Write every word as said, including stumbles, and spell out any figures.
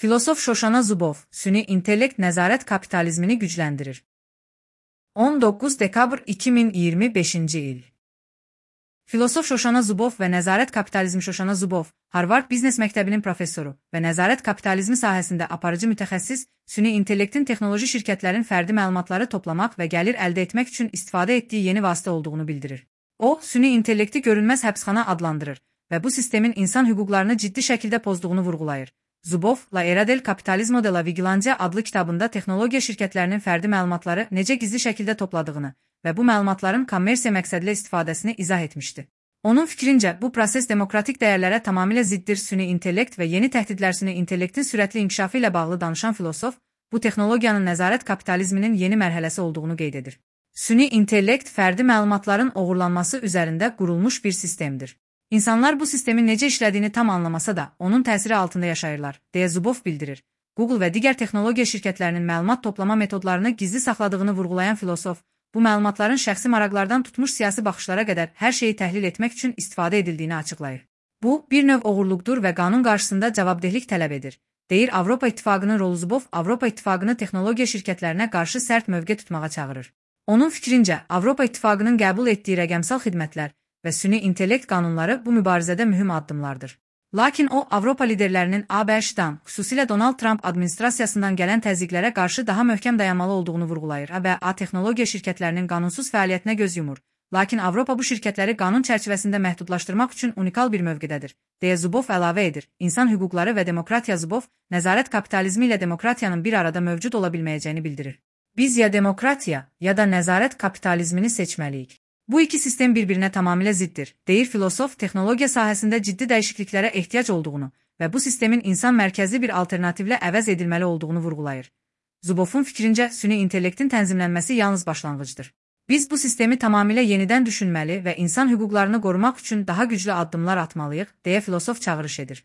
Filosof Şoşana Zubov, süni intellekt nəzarət kapitalizmini gücləndirir. on doqquz dekabr iki min iyirmi beşinci il. Filosof Şoşana Zubov və nəzarət kapitalizmi Şoşana Zubov, Harvard Biznes Məktəbinin professoru və nəzarət kapitalizmi sahəsində aparıcı mütəxəssis, süni intellektin texnoloji şirkətlərin fərdi məlumatları toplamaq və gəlir əldə etmək üçün istifadə etdiyi yeni vasitə olduğunu bildirir. O, süni intellekti görünməz həbsxana adlandırır və bu sistemin insan hüquqlarını ciddi şəkildə pozduğunu vurğulayır. Zubov, La Era del Capitalismo de la Vigilancia adlı kitabında texnologiya şirkətlərinin fərdi məlumatları necə gizli şəkildə topladığını və bu məlumatların kommersiya məqsədilə istifadəsini izah etmişdi. Onun fikrincə, bu proses demokratik dəyərlərə tamamilə ziddir. Süni intellekt və yeni təhdidlər süni intellektin sürətli inkişafı ilə bağlı danışan filosof, bu texnologiyanın nəzarət kapitalizminin yeni mərhələsi olduğunu qeyd edir. Süni intellekt fərdi məlumatların oğurlanması üzərində qurulmuş bir sistemdir. İnsanlar bu sistemin necə işlədiyini tam anlamasa da, onun təsiri altında yaşayırlar, deyə Zubov bildirir. Google və digər texnologiya şirkətlərinin məlumat toplama metodlarını gizli saxladığını vurğulayan filosof, bu məlumatların şəxsi maraqlardan tutmuş siyasi baxışlara qədər hər şeyi təhlil etmək üçün istifadə edildiyini açıqlayır. Bu, bir növ oğurluqdur və qanun qarşısında cavabdehlik tələb edir, deyir Avropa İttifaqının rolu. Zubov, Avropa İttifaqını texnologiya şirkətlərinə qarşı sərt mövqe tutmağa çağırır. Onun fikrincə, Avropa İttifaqının qəbul etdiyi rəqəmsal xidmətlər və süni intellekt qanunları bu mübarizədə mühüm addımlardır. Lakin o, Avropa liderlərinin A B Ş-dan, xüsusilə Donald Trump administrasiyasından gələn təzyiqlərə qarşı daha möhkəm dayanmalı olduğunu vurğulayır. A B A texnologiya şirkətlərinin qanunsuz fəaliyyətinə göz yumur. Lakin Avropa bu şirkətləri qanun çərçivəsində məhdudlaşdırmaq üçün unikal bir mövqedədir, deyə Zubov əlavə edir. İnsan hüquqları və demokratiya. Zubov, nəzarət kapitalizmi ilə demokratiyanın bir arada mövcud ola bilməyəcəyini bildirir. Biz ya demokratiya, ya da nəzarət kapitalizmini seçməliyik. Bu iki sistem bir-birinə tamamilə ziddir, deyir filosof, texnologiya sahəsində ciddi dəyişikliklərə ehtiyac olduğunu və bu sistemin insan mərkəzli bir alternativlə əvəz edilməli olduğunu vurğulayır. Zubovun fikrincə, süni intellektin tənzimlənməsi yalnız başlanğıcdır. Biz bu sistemi tamamilə yenidən düşünməli və insan hüquqlarını qorumaq üçün daha güclü addımlar atmalıyıq, deyə filosof çağırış edir.